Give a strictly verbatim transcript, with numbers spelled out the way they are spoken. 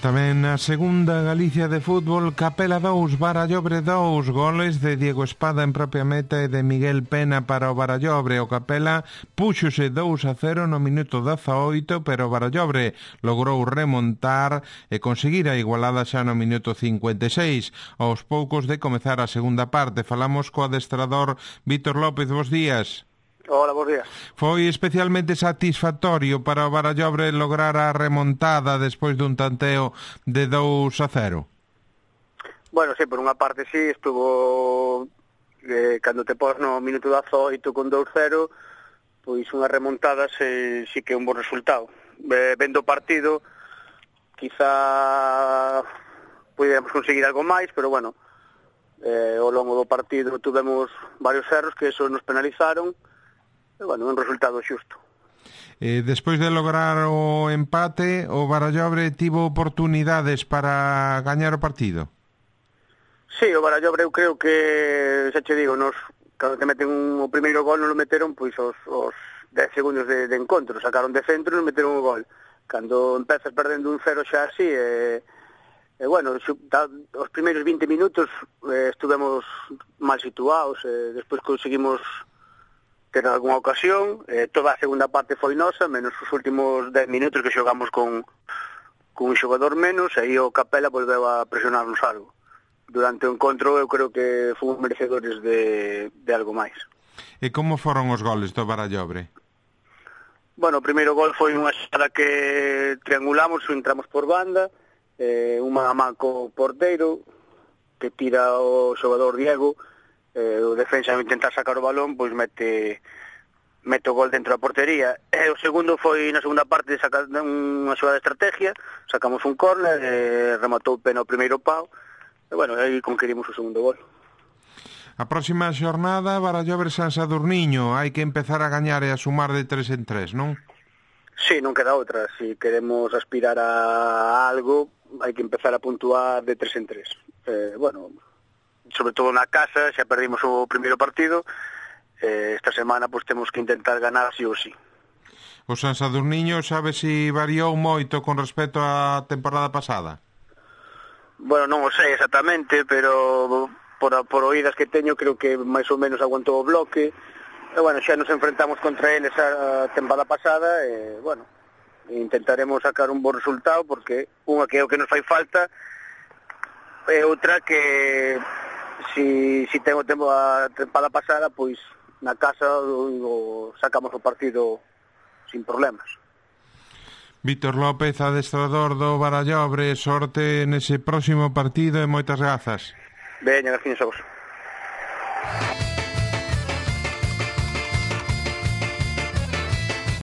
Tamén na segunda Galicia de fútbol, Capela dous, Barallobre dous, goles de Diego Espada en propia meta e de Miguel Pena para o Barallobre. O Capela púxose dous a cero no minuto dezaoito, pero o Barallobre logrou remontar e conseguir a igualada xa no minuto cincuenta e seis. Aos poucos de comezar a segunda parte, falamos co adestrador Vítor López. Bos días. Hola, bons días. Foi especialmente satisfactorio para o Barallobre lograr a remontada despois dun tanteo de dous a cero? Bueno, sí, por unha parte sí, estuvo eh, cando te pos no minuto dezaoito con dous cero, pois unha remontada se, sí que é un bon resultado. Eh, vendo o partido, quizá podíamos conseguir algo máis, pero bueno, eh, ao longo do partido tuvemos varios erros que eso nos penalizaron. E, bueno, un resultado xusto. Eh, despois de lograr o empate, o Barallobre tivo oportunidades para gañar o partido? Sí, o Barallobre eu creo que, xa che digo, nos, cando te meten un, o primeiro gol non lo meteron, pois os, os dez segundos de, de encontro, sacaron de centro e non meteron o gol. Cando empezas perdendo un cero xa así, e, e bueno, os primeiros vinte minutos eh, estuvemos mal situados, e despois conseguimos ter algunha ocasión, eh, toda a segunda parte foi nosa, menos os últimos dez minutos que xogamos con, con un xogador menos, e aí o Capela volveu a presionarnos algo. Durante o encontro eu creo que fomos merecedores de, de algo máis. E como foron os goles do Barallobre? Bueno, o primeiro gol foi unha xada que triangulamos, entramos por banda, eh, un man a man co porteiro, que tira o xogador Diego, Eh, o defensa intentar sacar o balón, pois mete mete o gol dentro da portería. E o segundo foi na segunda parte sacar unha xogada de estrategia, sacamos un córner, e rematou Pena o primeiro pau, e bueno, aí conquerimos o segundo gol. A próxima xornada, Barallobre San Sadurniño, hai que empezar a gañar e a sumar de tres en tres, non? Sí, non queda outra. Si queremos aspirar a algo, hai que empezar a puntuar de tres en tres. Eh, bueno, sobre todo na casa, xa perdimos o primeiro partido, eh, esta semana pois temos que intentar ganar sí ou sí. O San Sadurniño sabe se variou moito con respecto á temporada pasada? Bueno, non o sei exactamente, pero por, por oídas que teño creo que máis ou menos aguantou o bloque, e bueno, xa nos enfrentamos contra eles a temporada pasada, e bueno, intentaremos sacar un bon resultado, porque unha que é o que nos fai falta, e outra que si, si ten o tempo a tempada pasada, pois na casa o, o sacamos o partido sin problemas. Vítor López, adestrador do Barallobre, sorte nese próximo partido e moitas grazas. Veña, gracias a vos.